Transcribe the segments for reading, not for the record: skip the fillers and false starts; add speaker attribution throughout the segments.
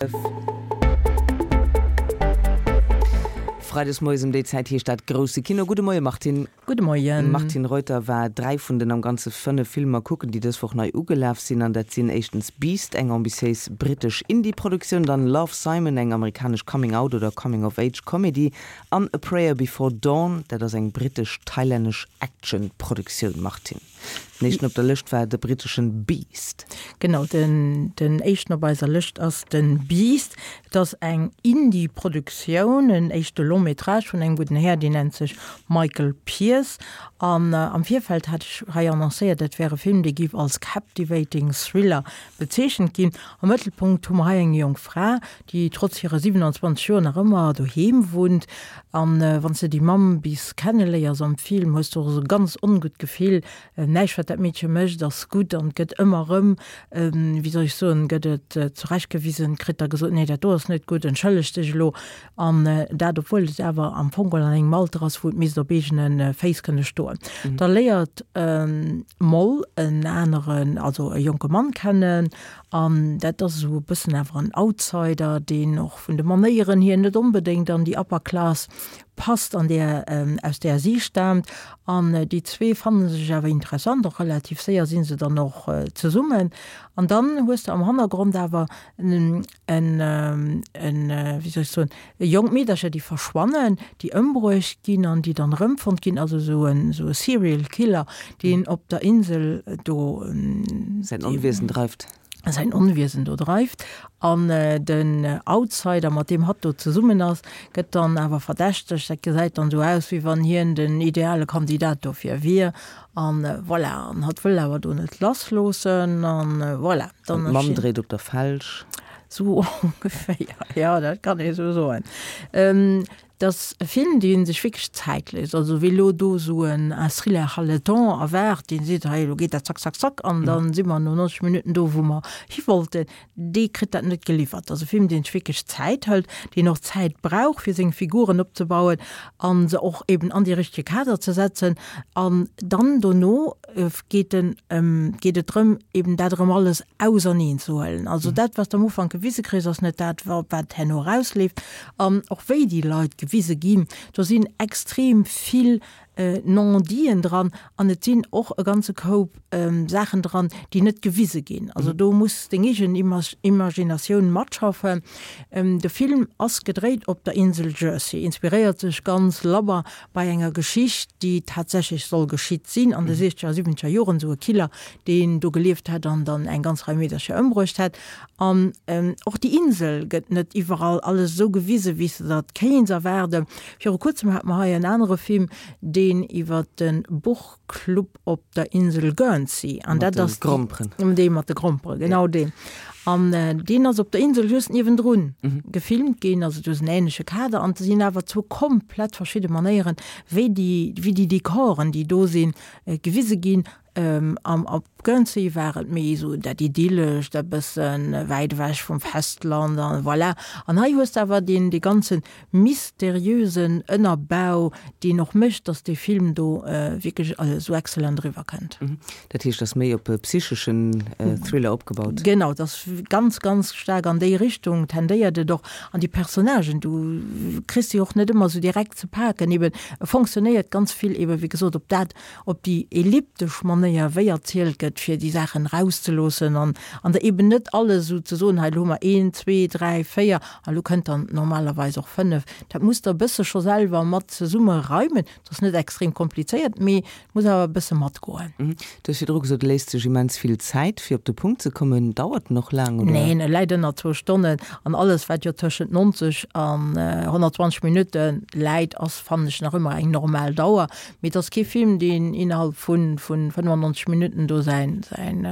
Speaker 1: Freides moies ëm déi Zäit heescht dat Grousse Kino. Gudde Moie Martine.
Speaker 2: Gudde Moien.
Speaker 1: D'Martine Reuter war 3 vun den am Ganze 5 Filmer kucken, déi dës Woch nei ugelaf sinn. An dat sinn éischtens Beast, eng ambitiéis brittesch Indie-Produktioun, dann Love, Simon, eng amerikanesch Coming-out oder Coming-of-Age-Komedie an A Prayer Before Dawn, dat ass eng brittesch-thailännesch Action-Produktioun. Martine. Den éischten op der Lëscht war de britteschen Beast.
Speaker 2: Genau, den den éischten op eiser Lëscht ass de Beast. Et ass eng Indie-Produktioun, en éischte Long métrage vun engem gudden Här, deen nennt sech Michael Pearce. An am Virfeld hat ech hei annoncéiert, dat wär e Film, dee géif als captivating Thriller bezeechent ginn. Am Mëttelpunkt hu mer hei eng jonk Fra, déi trotz hire 27 Joer nach ëmmer doheem wunnt. An wann s de déi Mamm bis kenneléiers am Film, hues de och esou e ganz ongutt Gefill. Näischt wat dat Meedche mécht ass gutt an et gëtt ëmmer erëm, wéi soll ech soen, gëtt et zurechtgewisen, kritt da gesot, nee dat do ass net gutt, entschëlleg dech elo. An dat obwuel et awer am Fong geholl an engem Alter ass, wou et misst op eegene Féiss kënne stoen. Da léiert d'Moll en aneren, also e jonke Mann kennen An dat ass esou e bëssen awer en Outsider, deen och vun de Manéieren hier net onbedéngt an déi Upper Class passt, an där, aus där si staamt. An déi zwee fanne sech awer interessant, och relativ séier si se dann och zesummen. An dann hues de am Hannergrond awer en, en, wéi soll ech soen, Jonk Meedercher, déi verschwannen, déi ëmbruecht ginn an déi dann erëmfonnt ginn, also esou en esou e Serial Killer, deen op der Insel do
Speaker 1: säin Onwiesen dreift.
Speaker 2: Säin Onwiesen do dreift. An den Outsider, mat deem hatt do zesummen ass, gëtt dann awer verdächtegt. Dat gesäit dann esou aus, wéi wann hien den ideale Kandidat dofir wier. An voilà, an hatt wëll awer do net lassloossen an voilà.
Speaker 1: Dann An d'Mamm dréit op der Felg.
Speaker 2: Sou ongeféier, jo, dat kann ee sou soen. Et ass e Film, dee sech wierklech Zäit léisst. Also wie elo do sou en Thriller haletant erwaart, dee seet, hei elo geet dat zack, zack, zack an da si mer no 90 Minutten do, wou mer hi wollten, dee kritt dat net geliwwert. Et ass e Film, dee sech wierklech Zäit hëlt, deen och Zäit brauch, fir seng Figuren opzebauen a se och eben an dee richtege Kader ze setzen. An dann dono geet en, geet et drëm, eben dat erëm alles auserneen ze huelen. Also dat, wat s de am Ufank gewise kriss, ass net dat, wat herno erausleeft. An och wéi déi Leit gewise ginn, do sinn extrem vill Non-diten dran an et sinn och e ganze Koup Saachen dran, déi net gewise ginn. Also do muss deng eegen Imaginatioun matschaffen. De Film ass gedréit op der Insel Jersey, inspiréiert sech ganz labber bei enger Geschicht, déi tatsächlech soll geschitt sinn an de siechzeger a siwwenzeger Joren, esou e Killer, deen do gelieft hätt an dann eng ganz Rei Meedercher ëmbruecht hätt. An och déi Insel gëtt net iwwerall alles esou gewisen, wéi s de der et kéints erwaarden. Viru kuerzem hate mer hei en anere Film, deen iwwer de Buchclub op der Insel Guernsey, an dat ass
Speaker 1: Gromperen.
Speaker 2: Dee mat de Gromperen, genau deen. An deen ass op der Insel just niewendrun gefilmt ginn, also du hues en änleche Kader an et sinn awer zwou komplett verschidde Manéieren, wéi déi, wéi déi Dekoren, déi do sinn, gewise ginn. Am op Guernsey war et méi esou dat Idyllescht, e bësse wäit ewech vum Festland an voilà. An hei hues de awer deen, dee ganzen mysteriösen Ënnerbau, deen och mécht, dass dee Film do wierklech esou excellent eriwwer kënnt.
Speaker 1: Dat heescht, ass méi op e psycheschen Thriller opgebaut?
Speaker 2: Genau, et ass ganz, ganz staark an déi Richtung tendéiert et och. An déi Personnagen, du kriss se och net ëmmer esou direkt ze paken. Eben, e fonctionnéiert ganz vill eben, wéi gesot, op dat, op déi elliptesch Manéier, wéi erzielt gëtt, fir déi Saachen erauszeloossen an an der eben net alles esou ze soen, hei elo hu mer een, zwee, dräi, véier an elo kënnt dann normalerweis och fënnef. Dat muss der e bësse scho selwer mat zesumme reimen. Dat ass net extrem komplizéiert, mee et muss awer e bësse matgoen.
Speaker 1: Du hues virdru gesot, et léisst sech immens vill Zäit, fir op de Punkt ze kommen. Dauert en och laang, oder?
Speaker 2: Neen, e läit ënner zwou Stonnen an alles, wat jo tëschent 90 an 120 Minutte läit, ass, fannen ech, nach ëmmer eng normal Dauer. Mee et ass kee Film, deen innerhalb vu 95 Minutten do säin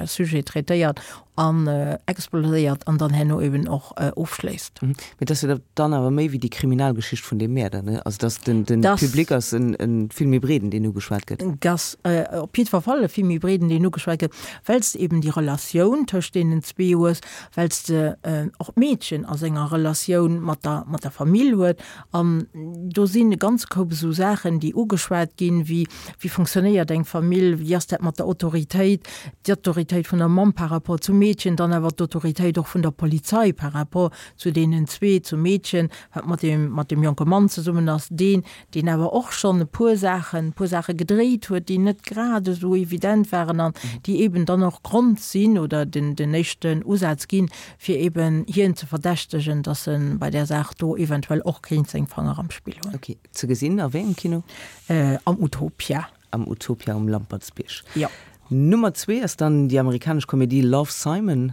Speaker 2: Sujet traitéiert an exploséiert an dann herno eben och ofschléisst.
Speaker 1: Mee et ass jo dann awer méi wéi déi Kriminalgeschicht vun deem Mäerder, ne? Also dass den Public ass e vill méi breeden, deen ugeschwat gëtt.
Speaker 2: Et ass op jiddwer Fall e vill méi breeden, deen ugeschwat gëtt, well s de eben déi Relatioun tëscht deenen zwee hues, well s de och d'Meedchen a senger Relatioun mat der Famill huet An do sinn e ganz Koup esou Saachen, déi ugeschwat ginn, wéi, wéi funktionéiert eng Famill, wéi ass dat mat der Autoritéit, d'Autoritéit vun der Mamm par rapport zum Meedchen. Meedchen dann awer d'Autoritéit och vun der Polizei par rapport zu deenen zwee, zum Meedchen, wat mat deem, mat deem jonke Mann zesummen ass, deen, deen awer och schonn e puer Saachen, e puer Saache gedréit huet, déi net grad esou evident waren an déi eben dann och Grond sinn oder den, den éischten Usaz ginn, fir eben hien ze verdächtegen, dass e bei där Saach do eventuell och kéint seng Fanger am Spill hunn.
Speaker 1: Ok. Ze gesinn a wéi engem Kino?
Speaker 2: Am Utopia.
Speaker 1: Am Utopia um Lampertsbierg.
Speaker 2: Jo.
Speaker 1: Nummer zwee ass dann déi amerikanesch Komedie Love, Simon.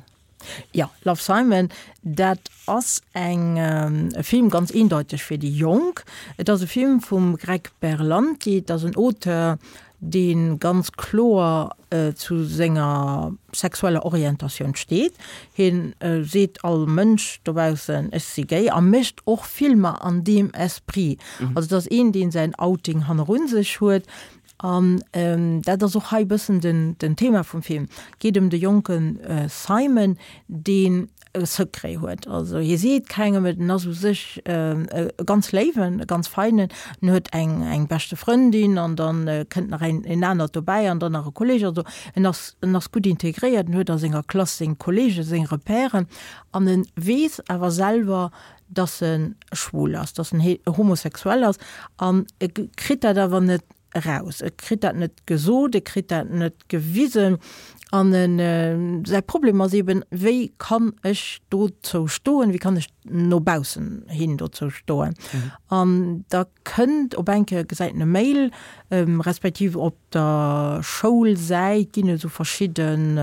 Speaker 2: Jo, Love, Simon, dat ass eng e Film ganz eendeuteg fir déi Jonk. Et ass e Film vum Greg Berlanti, et ass en Auteur, dee ganz kloer zu senger sexueller Orientatioun steet. Hien seet all Mënsch dobaussen, ech si gay a mécht och Filmer an deem Esprit. Also et ass een, dee säin Outing hannerun sech huet an dat ass och hei e bëssen den Thema vum Film. Et geet ëm de jonke Simon, deen e Secret huet. Also hie seet kengem et, en ass u sech e ganz léiwen, e ganz feinen, en huet eng eng beschte Frëndin an dann kënnt nach een een anert dobäi an dann nach e Kolleg. Also en ass en ass gutt integréiert, en huet a senger Klass seng Kollegen, seng Repèren an e weess awer selwer, dass e schwul ass, dass en homosexuell ass an e kritt dat awer net eraus. E kritt dat net gesot, e kritt dat net gewisen an en, säi Problem ass eben, wéi kann ech dozou stoen, wéi kann ech no baussen hin dozou stoen? An da kënnt op eng Kéier, gesäit en e Mail, respektiv op der Schoulsäit ginn et esou verschidden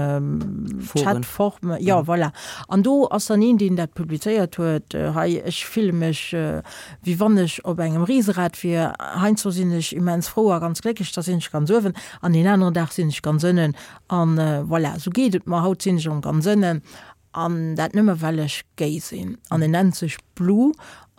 Speaker 2: Chatformen, jo voilà. An do ass dann een, deen dat publizéiert huet, hei ech fille mech wéi wann ech op engem Riserad wier. Heiansdo sinn ech immens frou a ganz glécklech, da sinn ech ganz uewen, an deen aneren Dag sinn ech ganz ënnen. An voilà, esou geet et mer. Haut sinn ech erëm ganz ënnen, an dat nëmme well ech gay sinn. An en nennt sech Blue.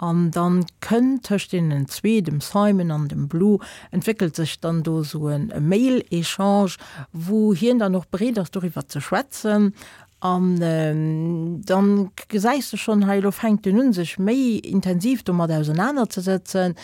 Speaker 2: An dann kënnt tëscht deenen zwee, dem Simon an dem Blue, entwéckelt sech dann do esou e Mail-Echange, wou hien dann och bereet ass doriwwer ze schwätzen. An dann gesäis de schonn, hei elo fänkt en un sech méi intensiv domat ausenanerzesëtzen.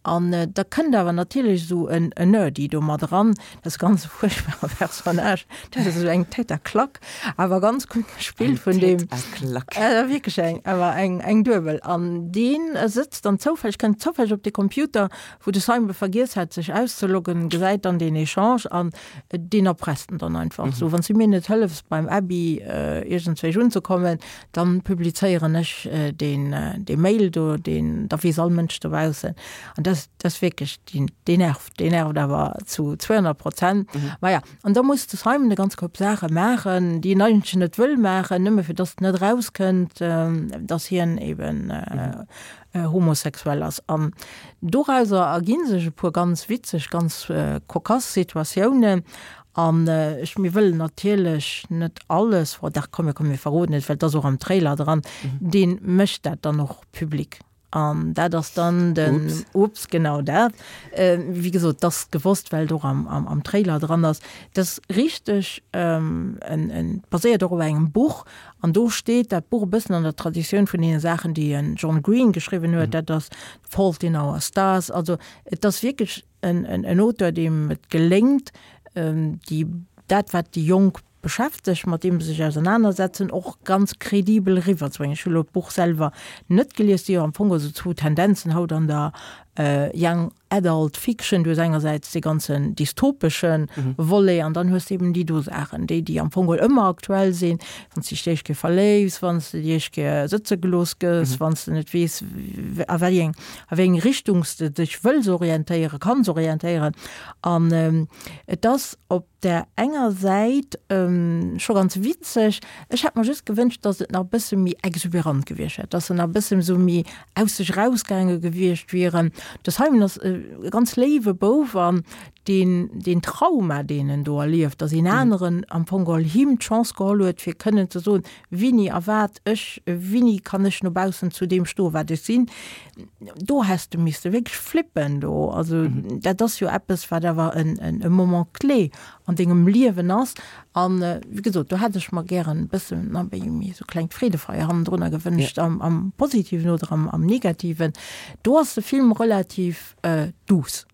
Speaker 2: An da kënnt awer natierlech esou en Nerdy do mat eran, dat ass e ganz fuerchtbare Personnage, dat ass esou eng Tête à claque, awer ganz gutt gespillt vun deem. Eng Tête à
Speaker 1: claque.
Speaker 2: Wierklech eng, awer eng, eng duebel. An deen sëtzt dann zoufälleg, kënnt zoufälleg op de Computer, wou de Simon vergiess hat sech auszeloggen, gesäit dann deen Echange an Deen erpresst en dann einfach esou, Wann s du mir net hëllefs beim Abby iergendzwéich unzekommen, dann publizéieren ech deen dee Mail do, deen, da weess all Mënsch dobaussen. An dat dat ass wierklech, deen deen nervt, deen nervt awer zu 200 Prozent. Maja, an da muss de Simon e ganz Koup Saache maachen, déi en eigentlech net wëll maachen, nëmme fir dass et net erauskënnt, dass hien eben homosexuell ass. An dorauser erginn sech e puer ganz witzeg, ganz cocasse Situatiounen. An ech, mir wëllen natierlech net alles, oh dach, komm, komm, mir verroden et, well et ass och am Trailer dran, dee mécht dat dann och public. An dat ass dann den, Ups, ups, genau dat. Wéi gesot, et ass gewosst, well et och am, am, am Trailer dran ass. Et ass richteg en, en, baséiert och op engem Buch, An do steet dat Buch e bëssen an der Traditioun vun deene Saachen, déi en John Green geschriwwen huet, dat ass The Fault in Our Stars. Also et ass wierklech en, en, en Auteur, deem et geléngt, déi, dat wat déi Jonk beschäftegt, mat deem se sech ausernanersetzen, och ganz kredibel eriwwerzebréngen. Ech hu lo d'Buch selwer net gelies, et si jo am Fong esou zwou Tendenzen haut an der Young Adult Fiction, du hues engersäits dee ganzen dystopeschen Volet an dann hues de eben déi do Saachen, déi déi am Fong geholl ëmmer aktuell sinn, wann s de dech d'éischt Kéier verléifs, wann s de déi éischt Kéier sëtze gelooss gëss, wann s de net weess, a wéi eng a wéi eng Richtung s de dech wëlls orientéieren, kanns orientéieren. An et ass op där enger Säit scho ganz witzeg. Ech hätt mer just gewënscht, dass et nach e bësse méi exuberant gewiescht wär, dass se nach e bësse sou méi aus sech erausgaange gewiescht wieren. De Simon ass e ganz léiwe Bouf an deen, deen Trauma, deen en do erlieft, dass een aneren am Fong geholl him d'Chance geholl huet, fir kënnen ze soen, Wini a wat ech, wini kann ech no baussen zu deem stoen, wat ech sinn, do häss de misste wierklech flippen do. Also dat ass jo eppes, wat awer en, en, e Moment clé an dengem Liewen ass. An wéi gesot, do hätt ech mer gären e bëssen nach méi, méi esou klengt Freedefeier hannendrunner gewënscht, am, am Positiven oder am, am Negativen. Do ass de Film relativ douce.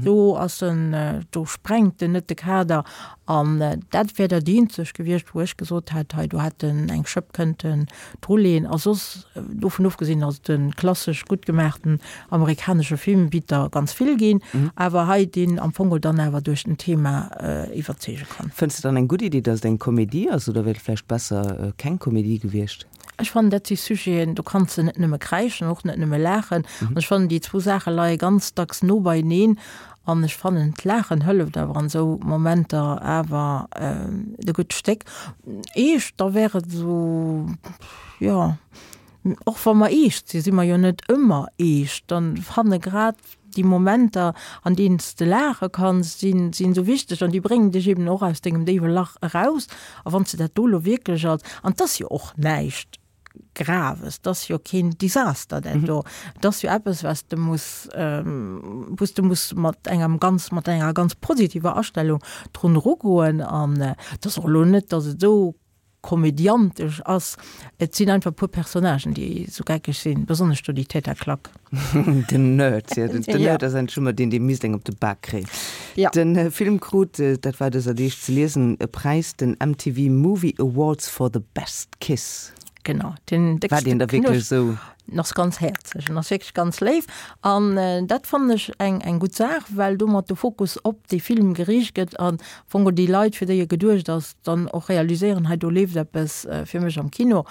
Speaker 2: Do ass en, do sprengt en net de Kader. An dat wär dat eenzegt gewiescht, wou ech gesot hätt, hei do hätt en eng Schëpp kënnten druleeën. A soss, dovun ofgesinn, ass et e klassesch gutt gemaachten amerikanesche Film, wéi der ganz vill ginn, awer hei deen am Fong dann awer duerch den Thema iwwerzeege kann.
Speaker 1: Fënns de dann eng gutt Iddi, datt et eng Komedie ass, oder wär et vläicht besser keng Komedie gewiescht?
Speaker 2: Ech fannen, dat si Sujeten, do kanns de net nëmme kräischen, och net nëmme laachen. An ech fannen, déi zwou Saache leie ganz dacks no beieneen. An ech fannen, d'Laachen hëlleft awer an esou Momenter awer e gutt Stéck. Eescht, da wär et esou, jo, och wa mer eescht sinn, si mer jo net ëmmer eescht. Dann fanne grad déi Momenter, an deenen s de laache kanns, sinn esou wichteg an déi bréngen dech eben och aus dengem déiwe Lach eraus. A wann s de dat do elo wierklech als, an 't ass jo och näischt Graves, 't ass jo keen Desaster dat do, 't ass jo eppes, wat s de muss, wou s de muss mat engem ganz, mat enger ganz positiver Astellung drun erugoen. An 't ass och elo net, datt et esou komödiantesch ass. Et sinn einfach e puer Personnagen, déi esou geckeg sinn, besonnesch do déi Täter Klack.
Speaker 1: Den Nerd, jo, den Nerd ass eigentlech ëmmer deen, dee misst eng op de Bak kréien. Ja. Den Film krut, dat war dëser Deeg ze liesen, e Präis, den MTV Movie Awards for the Best Kiss.
Speaker 2: Genau, den
Speaker 1: déckste War deen da wierklech esou?
Speaker 2: En ass ganz häerzlech, en ass wierklech ganz léif an dat fannen ech eng eng gutt Saach, well domat de Fokus op dee Film geriicht gëtt an am Fong och déi Leit, fir déi e geduecht ass, dann och realiséieren, hei do leeft eppes fir mech am Kino,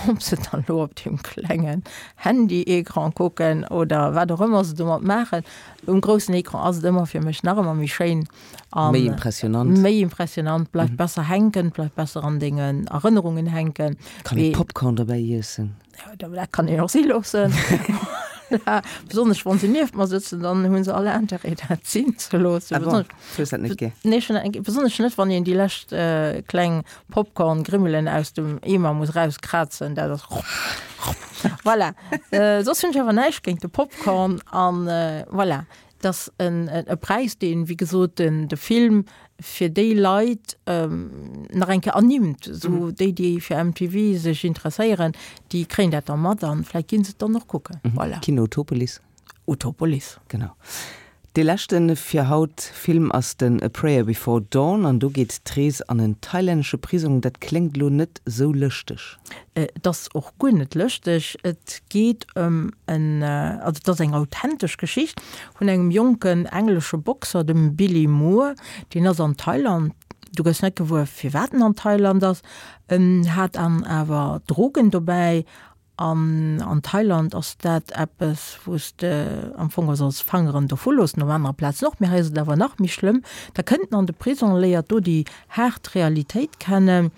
Speaker 2: ob se dann elo op deem klengen Handy-Ecran kucken oder wat och ëmmer se domat maachen. Um groussen Ecran ass et ëmmer fir mech nach ëmmer méi schéin
Speaker 1: an méi impressionant,
Speaker 2: méi impressionant, bleift besser hänken, bleift besser an dengen Erënnerungen hänken.
Speaker 1: Kann ee Popcorn dobäi iessen?
Speaker 2: Ja, dat kann een och si loossen. Besonnesch wann se nieft mer sëtzen, dann hunn se alle Interêt dat sinn ze loossen. Ah bon,
Speaker 1: du hues dat net gär?
Speaker 2: Nee, ech hunn dat, besonnesch net wann een déi lescht kleng Popcorn-Grimmelen aus dem Eemer muss rauskrazen, dat ass voilà. Soss hunn ech awer näischt géint de Popcorn an voilà. Et ass e Präis, deen, wéi gesot, de Film fir déi Leit nach eng Kéier ernimmt. Esou déi, déi fir MTV sech interesséieren, déi kréien dat da mat an vläicht gi se et dann och kucken.
Speaker 1: Voilà. Kino Utopolis.
Speaker 2: Utopolis.
Speaker 1: Genau. Dee leschte fir haut Film ass den A Prayer Before Dawn an do geet d'Rees an en thailännesche Prisong. Dat kléngt elo net sou lëschteg.
Speaker 2: Et ass och guer net lëschteg. Et geet ëm en, also et ass eng authentesch Geschicht vun engem jonken englesche Boxer, dem Billy Moore. Deen ass an Thailand, du gëss net gewuer firwat en an Thailand ass, en hat an awer Drogen dobäi an an Thailand ass dat eppes wou s de am Fong solls Fangeren dovu loossen, op anere Plazen och, mee hei ass et awer nach méi schlëmm. Da kënnt en an de Prisong, léiert do déi haart Realitéit kennen.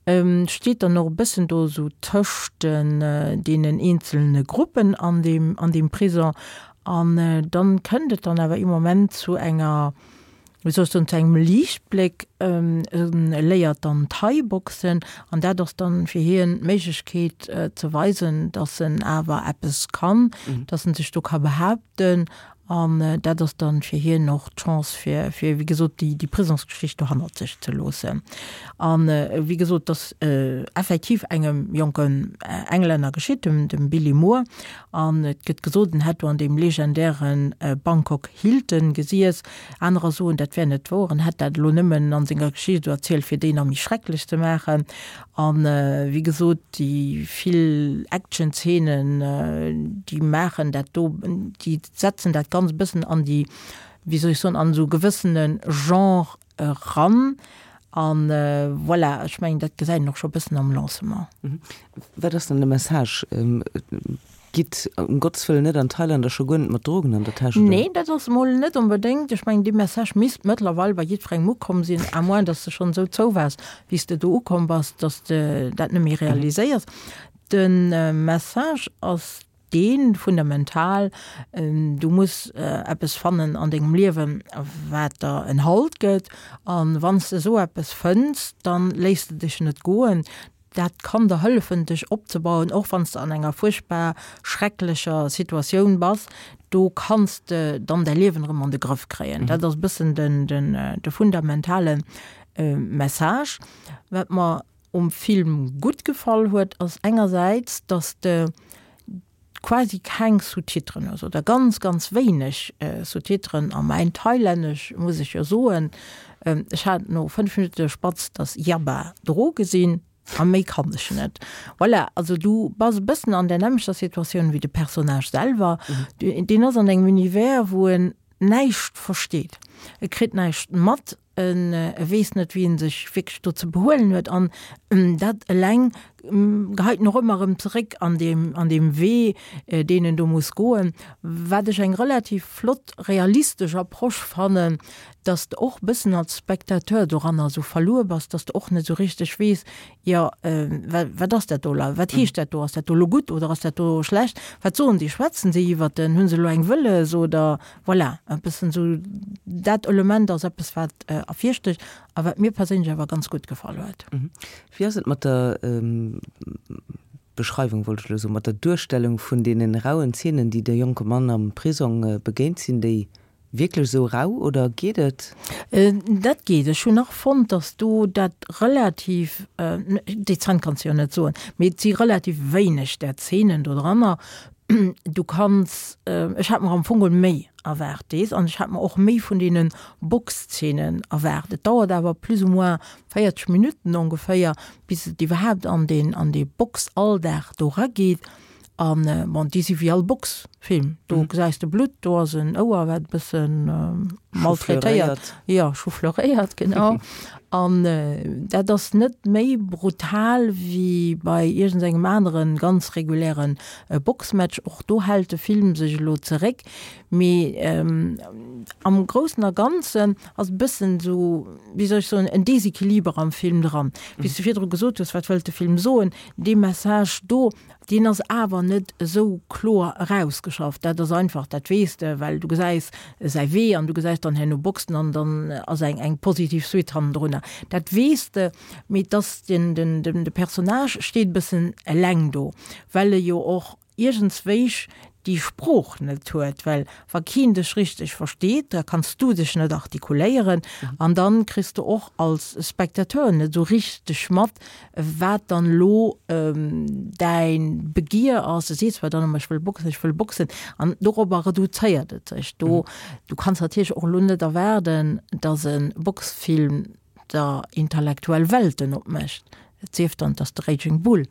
Speaker 2: Steet dann och e bëssen do esou tëscht den deenen eenzelne Gruppen an deem an deem Prison. An dann kënnt et dann awer ee Moment zu enger, wéi soll ech soen, zu engem Liichtbléck. E léiert dann Thai-Boxen an dat ass dann fir hien d'Méiglechkeet ze weisen, datt en awer eppes kann, datt en sech do ka behaapten An dat ass dann fir hien och d'Chance fir, fir wéi gesot, déi, déi Prisongsgeschicht do hannert sech ze loossen. An wéi gesot, et ass effektiv engem jonken Englänner geschitt, dem, dem Billy Moore. An et gëtt gesot, en hätt do an deem legendäre Bangkok Hilton gesiess. Anerer soen, dat wär net wouer, en hätt dat elo nëmmen an senger Geschicht esou erzielt, fir déi nach méi schrecklech ze maachen. An wéi gesot, déi vill Action-Zeenen, déi maachen dat do, déi setzen dat Ganzt e bëssen an déi, wéi soll ech soen, an esou e gewëssene Genre eran. An voilà, ech mengen, dat gesäit een och scho e bëssen am Lancement.
Speaker 1: Wat ass dann de Message? Gitt um Gottes Wëllen net an Thailand a scho guer net mat Drogen an der Täsch,
Speaker 2: oder? Nee, dat ass emol net onbedéngt. Ech mengen, dee Message misst mëttlerweil bei jiddwerengem ukomm sinn, à moins dass de schonn esou zou waars, wéi s de do ukomm bass, dass de dat net méi realiséiers. De Message ass dee fundamental, Du muss eppes fannen an dengem Liewen, wat der en Halt gëtt. A wann s de esou eppes fënns, da léiss de dech net goen. Dat kann der hëllefen, dech opzebauen, och wann s de an enger fuerchtbar schrecklecher Situatioun bass. Do kanns de dann däi Liewen erëm an de Grëff kréien. Dat ass e bëssen den, den, de fundamentale Message. Wat mer um Film gutt gefall huet, ass engersäits, dass de. quasi keng Sous-titren hues oder ganz, ganz wéineg Sous-titren. A mäin Thailännesch, muss ech jo soen, ech hat no 5 Minutte spatz dass Yaba Droge sinn. A méi kann ech net. Voilà, also du bass e bëssen an där nämmlechter Situatioun wéi de Personnage selwer. Deen ass an engem Univers, wou en näischt versteet. E kritt näischt mat, en weess net, wéi en sech wierklech do ze behuelen huet. An dat eleng geheit en och ëmmer erëm zeréck an deem, an deem Wee, deen en do muss goen. Wat ech eng relativ flott realistesch Approche fannen, dass de och e bëssen als Spectateur doranner esou verluer bass, dass de och net esou richteg weess, jo, wat ass dat do elo, wat heescht dat do, ass dat do elo gutt oder ass dat do schlecht, wat soen déi, schwätzen si iwwert en, hu se elo eng wëlles oder voilà, e bëssen esou dat Element ass eppes, wat ervirstécht a wat mir perséinlech awer ganz gutt gefall huet.
Speaker 1: Wéi ass et mat der Beschreiwung, wollt ech elo soen, mat der Duerstellung vun deenen rauen Zeenen, déi de jonke Mann am Prisong begéint? Sinn déi Wierklech esou rau oder geet et?
Speaker 2: Dat geet. Ech hunn nach fonnt, datt do dat relativ, dezent kanns de jo net soen, mee et si relativ wéineg där Zeenen do dranner. Du kanns, ech hat mer am Fong geholl méi erwaart dees an ech hat mer och méi vun deene Boxzeenen erwaart. Et dauert awer plus ou moins 40 Minutten ongeféier, bis et iwwerhaapt an deen, an dee Boxalldag do erageet. An bon, déi si wéi all Boxfilm, do gesäis de Blutt, do ass en Ouer, wat e bësse maltraitéiert, jo, choufleuréiert, genau. An dat ass net méi brutal wéi bei iergendengem anere ganz reguläre Boxmatch. Och do hält de Film sech elo zeréck, mee am Groussen a Ganzen ass e bëssen esou, wéi soll ech soen, en Desequiliber am Film dran. Wéi s de virdru gesot hues, wat wëllt de Film soen, dee Message do, Deen ass awer net esou kloer erausgeschafft. Dat ass einfach, dat weess de, well du gesäis säi Wee an du gesäis dann herno Boxen an dann ass eng eng positiv Suite hannendrunner. Dat weess de, mee et ass den, den, den, de Personnage steet e bëssen eleng do, well e jo och iergendswéich déi Sprooch net huet, well wa keen dech richteg versteet, da kanns du dech net artikuléieren an dann kriss de och als Spectateur net esou richteg mat, wat dann elo däin Begier ass. Du sees zwar dann ëmmer, ech wëll boxen, ech wëll boxen an dorobber reduzéiert et sech. Do, du kanns natierlech och elo net erwaarden, dass e Boxfilm der intellektuell Welten opmécht, et sief dann, et ass de Raging Bull.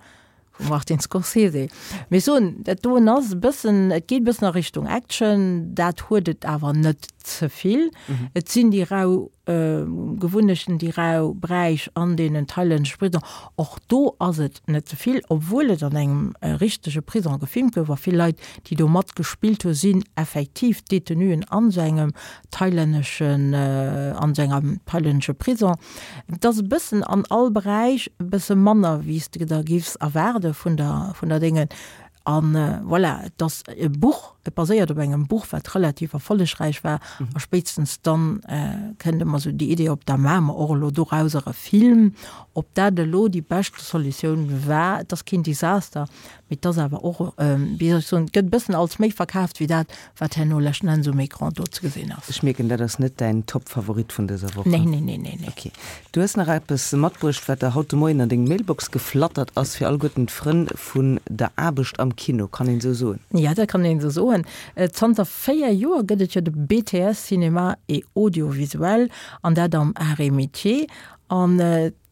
Speaker 2: Vum Martin Scorsese. Mee soen, dat doen ass e bëssen, et geet e bëssen a Richtung Action, dat huet et awer net ze vill. Et sinn déi rau Gewunnechten, déi rau Bräich an deenen thailännesche Prisongen. Och do ass et net ze vill, obwuel et an engem richtege Prisong gefilmt gouf a vill Leit, déi do matgespillt hu sinn effektiv Detenuen an esou engem thailänneschen, an esou engem thailännesche Prisong. Et ass e bëssen an all Beräich e bësse manner, wéi s de der giffs erwaarde vun der, vun der Déngen. A voilà, et ass e Buch, et baséiert op engem Buch, wat relativ erfollegräich war. A spéitstens dann kënnt ëmmer esou déi Idee op, da maache mer och elo dorauser e Film. Ob dat elo déi beschte Solutioun war, et ass keen Desaster, mee et ass awer och, wéi soll ech soen, et gëtt e bëssen als méi verkaaft wéi dat, Wat herno leschten Enns um Ecran do ze gesinn ass.
Speaker 1: Ech mierken, dat ass net däin Top-Favorit vun dëser Woch.
Speaker 2: Nee, nee, nee, nee, nee.
Speaker 1: Ok. Du hues nach eppes matbruecht, wat der haut de Moien an deng Mailbox geflattert ass, fir alleguerten d'Frënn vun der Aarbecht am Kino, kann een esou soen?
Speaker 2: Ja, dat kann een esou soen. Zanter 4 Joer gëtt et jo de BTS Cinéma et Audiovisuel, an dat am Arts et Métiers. An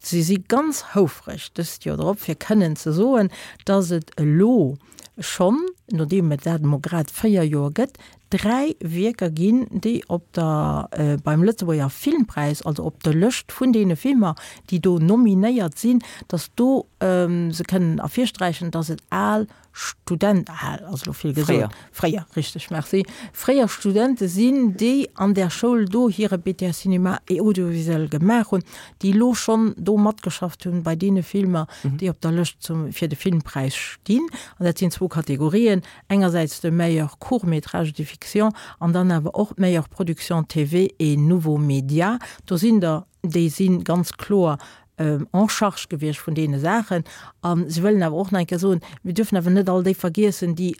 Speaker 2: si si ganz houfreg dëst Joer drop, fir kënnen ze soen, dass et elo schonn, nodeem et dat emol grad 4 Joer gëtt, 3 Wierker ginn, déi op der, beim Lëtzebuerger Filmpräis, also op der Lëscht vun deene Filmer, déi do nominéiert sinn, dass do se kënnen ervirsträichen, dass et al Student, al ass elo vill gesot, fréier, richteg, merci, fréier Studente sinn, déi an där Schoul do hire BTS Cinéma et Audiovisuel gemaach hunn, déi elo schonn do matgeschafft hunn bei deene Filmer, déi op der Lëscht zum, fir de Filmpräis stinn. An dat sinn zwou Kategorien, engersäits de Meilleur court métrage de fiction an dann awer och d'Meilleure production TV et nouveaux médias. Do sinn der, déi si ganz kloer en charge gewiescht vun deene Saachen. A si wëllen awer och nach eng Kéier soen, mir dürfen awer net all déi vergiessen, déi.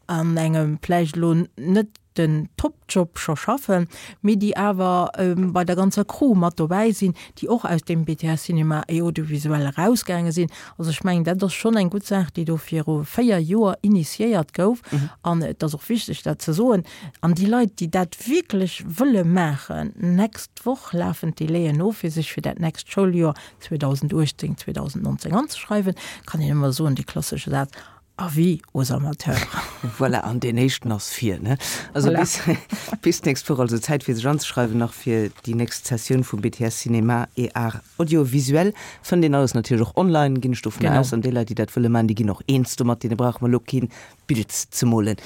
Speaker 2: an engem vläicht elo net den Top-Job scho schaffen, mee déi awer bei der ganzer Crew mat dobäi sinn, déi och aus deem BTS Cinéma et Audiovisuel erausgaange sinn. Also ech mengen, dat ass schonn eng gutt Saach, déi do viru 4 Joer initiéiert gouf. An et ass och wichteg, dat ze soen. An déi Leit, déi dat wierklech wëlle maachen, nächst Woch lafen d'Délaiën of, fir sech fir dat nächst Schouljoer 2018, 2019 anzeschreiwen, kann een ëmmer soen, dee klassesche Saz, Avis aux amateurs.
Speaker 1: Voilà, an deen éischten ass vir, ne? Also voilà. bis, bis d'nächst Woch, also Zäit fir sech anzeschreiwen nach fir déi nächst Sessioun vum BTS Cinéma et Arts Audiovisuels. Fënnt een alles natierlech och online, ginn ech dovun aus. An déi Leit, déi dat wëlle maachen, déi ginn och eens domat, deene brauche mer elo keen Bild ze molen.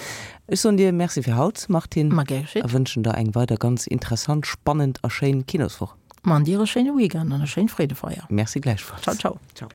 Speaker 1: Ech soen dir Merci fir haut, Martine.
Speaker 2: Ma gär
Speaker 1: geschétt. A wënschen der eng weider ganz interessant, spannend a schéin Kinoswoch.
Speaker 2: Ma an dir e schéine Weekend an e schéint Freedefeier.
Speaker 1: Merci gläichfalls.
Speaker 2: Ciao, ciao. Ciao.